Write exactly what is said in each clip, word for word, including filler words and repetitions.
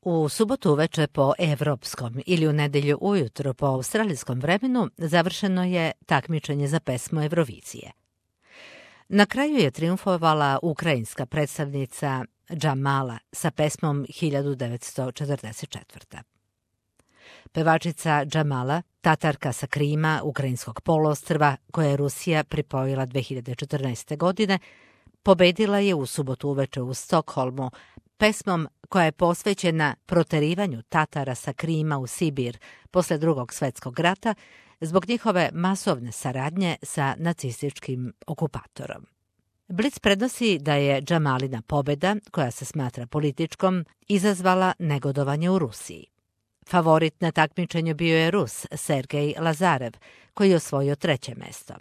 U subotu uveče po evropskom ili u nedelju ujutro po australijskom vremenu završeno je takmičenje za pesmu Eurovizije. Na kraju je triumfovala ukrajinska predstavnica Džamala sa pesmom hiljadu devetsto četrdeset četvrte. Pevačica Džamala, Tatarka sa Krima, ukrajinskog poluostrva, koje je Rusija pripojila dve hiljade četrnaeste. godine, pobedila je u subotu uveče u Stokholmu pesmom koja je posvećena proterivanju Tatara sa Krima u Sibir posle Drugog svetskog rata zbog njihove masovne saradnje sa nacističkim okupatorom. Blic prenosi da je Džamalina pobeda, koja se smatra političkom, izazvala negodovanje u Rusiji. Favorit na takmičenju bio je Rus Sergej Lazarev, koji je osvojio treće mesto.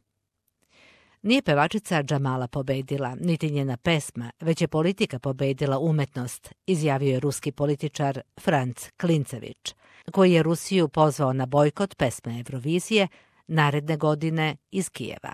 Nije pevačica Džamala pobedila, niti njena pesma, već je politika pobedila umetnost, izjavio je ruski političar Franc Klincević, koji je Rusiju pozvao na bojkot pesme Eurovizije naredne godine iz Kijeva.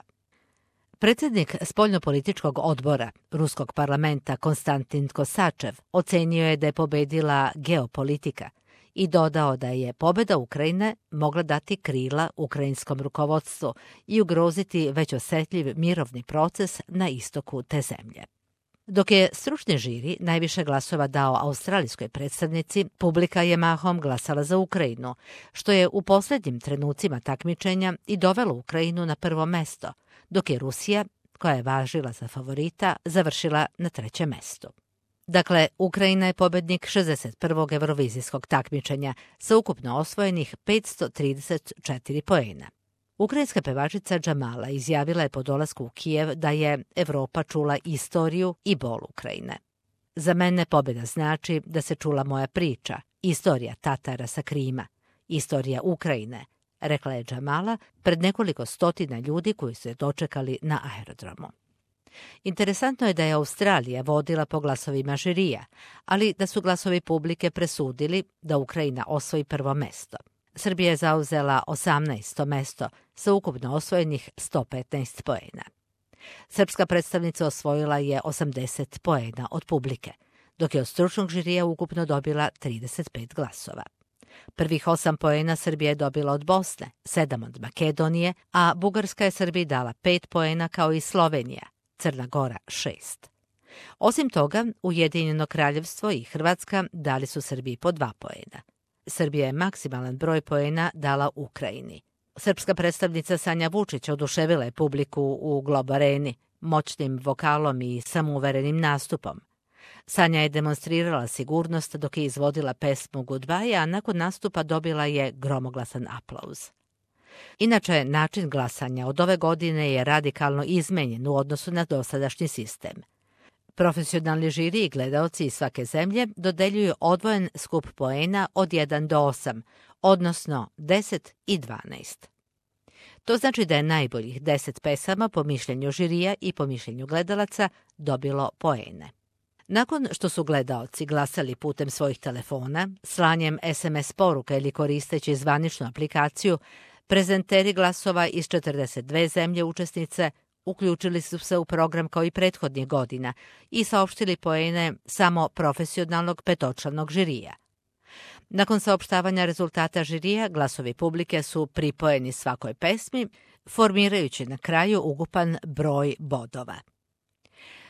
Predsjednik spoljnopolitičkog odbora ruskog parlamenta Konstantin Kosačev ocenio je da je pobedila geopolitika i dodao da je pobeda Ukrajine mogla dati krila ukrajinskom rukovodstvu i ugroziti već osetljiv mirovni proces na istoku te zemlje. Dok je stručni žiri najviše glasova dao australijskoj predstavnici, publika je mahom glasala za Ukrajinu, što je u posljednjim trenucima takmičenja i dovelo Ukrajinu na prvo mesto, dok je Rusija, koja je važila za favorita, završila na trećem mestu. Dakle, Ukrajina je pobednik šezdeset prvog eurovizijskog takmičenja sa ukupno osvojenih petsto trideset četiri poena. Ukrajinska pevačica Džamala izjavila je po dolasku u Kijev da je Evropa čula istoriju i bol Ukrajine. Za mene pobjeda znači da se čula moja priča, istorija Tatara sa Krima, istorija Ukrajine, rekla je Džamala pred nekoliko stotina ljudi koji su je dočekali na aerodromu. Interesantno je da je Australija vodila po glasovima žirija, ali da su glasovi publike presudili da Ukrajina osvoji prvo mesto. Srbija je zauzela osamnaesto mesto sa ukupno osvojenih sto petnaest poena. Srpska predstavnica osvojila je osamdeset poena od publike, dok je od stručnog žirija ukupno dobila trideset pet glasova. Prvih osam poena Srbija je dobila od Bosne, sedam od Makedonije, a Bugarska je Srbiji dala pet poena kao i Slovenija, Crna Gora šest. Osim toga, Ujedinjeno kraljevstvo i Hrvatska dali su Srbiji po dva poena. Srbija je maksimalan broj poena dala Ukrajini. Srpska predstavnica Sanja Vučić oduševila je publiku u Glob Areni moćnim vokalom i samouverenim nastupom. Sanja je demonstrirala sigurnost dok je izvodila pesmu Goodbye, a nakon nastupa dobila je gromoglasan aplauz. Inače, način glasanja od ove godine je radikalno izmenjen u odnosu na dosadašnji sistem. Profesionalni žiri i gledaoci iz svake zemlje dodeljuju odvojen skup poena od jedan do osam, odnosno deset i dvanaest. To znači da je najboljih deset pesama po mišljenju žirija i po mišljenju gledalaca dobilo poene. Nakon što su gledaoci glasali putem svojih telefona, slanjem es em es poruka ili koristeći zvaničnu aplikaciju, prezenteri glasova iz četrdeset dve zemlje učesnice uključili su se u program kao i prethodnih godina i saopštili poene samo profesionalnog petočlanog žirija. Nakon saopštavanja rezultata žirija, glasovi publike su pripojeni svakoj pesmi, formirajući na kraju ukupan broj bodova.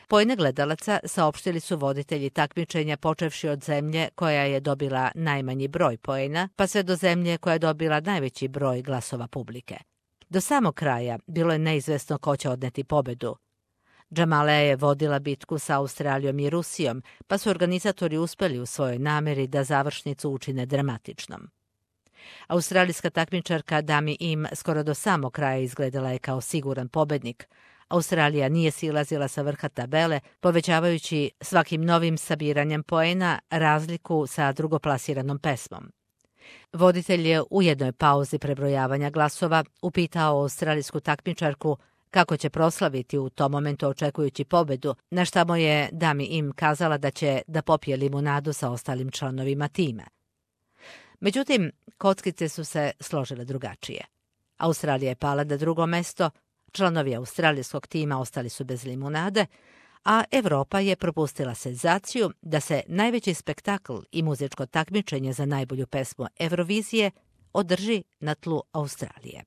Poene gledalaca saopštili su voditelji takmičenja počevši od zemlje koja je dobila najmanji broj poena, pa sve do zemlje koja je dobila najveći broj glasova publike. Do samog kraja bilo je neizvesno ko će odneti pobedu. Džamala je vodila bitku sa Australijom i Rusijom, pa su organizatori uspeli u svojoj nameri da završnicu učine dramatičnom. Australijska takmičarka Dami Im skoro do samog kraja izgledala je kao siguran pobednik. Australija nije silazila sa vrha tabele, povećavajući svakim novim sabiranjem poena razliku sa drugoplasiranom pesmom. Voditelj je u jednoj pauzi prebrojavanja glasova upitao australijsku takmičarku kako će proslaviti u tom momentu očekujući pobedu, na šta mu je Dami Im kazala da će da popije limunadu sa ostalim članovima tima. Međutim, kockice su se složile drugačije. Australija je pala na drugo mesto, članovi australijskog tima ostali su bez limunade, a Evropa je propustila senzaciju da se najveći spektakl i muzičko takmičenje za najbolju pesmu Eurovizije održi na tlu Australije.